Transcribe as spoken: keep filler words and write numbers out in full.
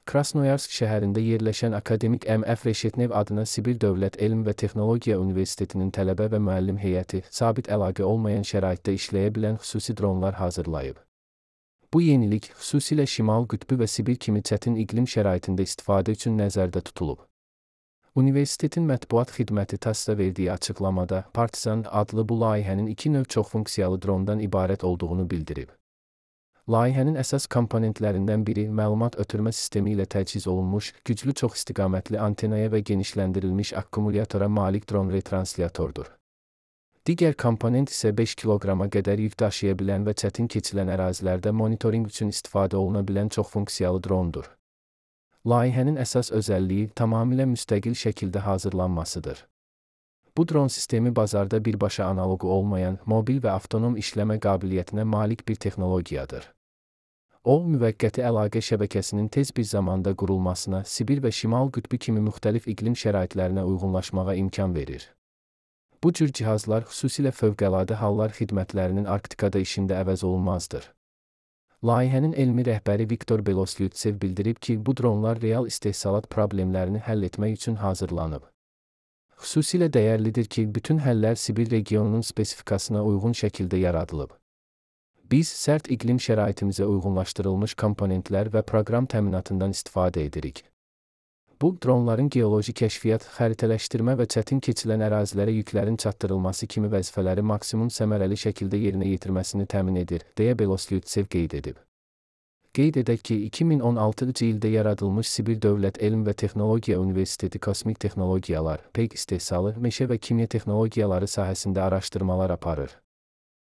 Krasnoyarsk şəhərində yerləşən akademik M F Reshetnev adına Sibir Dövlət Elm və Texnologiya Universitetinin tələbə və müəllim heyəti sabit əlaqə olmayan şəraitdə işləyə bilən xüsusi dronlar hazırlayıb. Bu yenilik xüsusilə Şimal Qütbü və Sibir kimi çətin iqlim şəraitində istifadə üçün nəzərdə tutulub. Universitetin mətbuat xidməti TASS-a verdiyi açıqlamada Partizan adlı bu layihənin iki növ çoxfunksiyalı drondan ibarət olduğunu bildirib. Layihənin əsas komponentlərindən biri məlumat ötürmə sistemi ilə təchiz olunmuş, güclü çoxistiqamətli antenaya və genişləndirilmiş akkumulyatora malik dron retransliatordur. Digər komponent isə beş kiloqrama qədər yük daşıya bilən və çətin keçilən ərazilərdə monitorinq üçün istifadə oluna bilən çoxfunksiyalı drondur. Layihənin əsas özəlliyi tamamilə müstəqil şəkildə hazırlanmasıdır. Bu dron sistemi bazarda birbaşa analoqu olmayan, mobil və avtonom işləmə qabiliyyətinə malik bir texnologiyadır. O, müvəqqəti əlaqə şəbəkəsinin tez bir zamanda qurulmasına, Sibir və Şimal Qütbü kimi müxtəlif iqlim şəraitlərinə uyğunlaşmağa imkan verir. Bu cür cihazlar xüsusilə fövqəladə hallar xidmətlərinin Arktikada işində əvəz olunmazdır. Layihənin elmi rəhbəri Viktor Beloslutsev bildirib ki, bu dronlar real istehsalat problemlərini həll etmək üçün hazırlanıb. Xüsusilə dəyərlidir ki, bütün həllər Sibir regionunun spesifikasına uyğun şəkildə yaradılıb. Biz sərt iqlim şəraitimizə uyğunlaşdırılmış komponentlər və proqram təminatından istifadə edirik. Bu, dronların geoloji kəşfiyyat, xəritələşdirmə və çətin keçilən ərazilərə yüklərin çatdırılması kimi vəzifələri maksimum səmərəli şəkildə yerinə yetirməsini təmin edir, deyə Beloslutsev qeyd edib. Qeyd edək ki, iki min on altıncı ildə yaradılmış Sibir Dövlət Elm və Texnologiya Universiteti kosmik texnologiyalar, peyk istehsalı, meşə və kimya texnologiyaları sahəsində araşdırmalar aparır.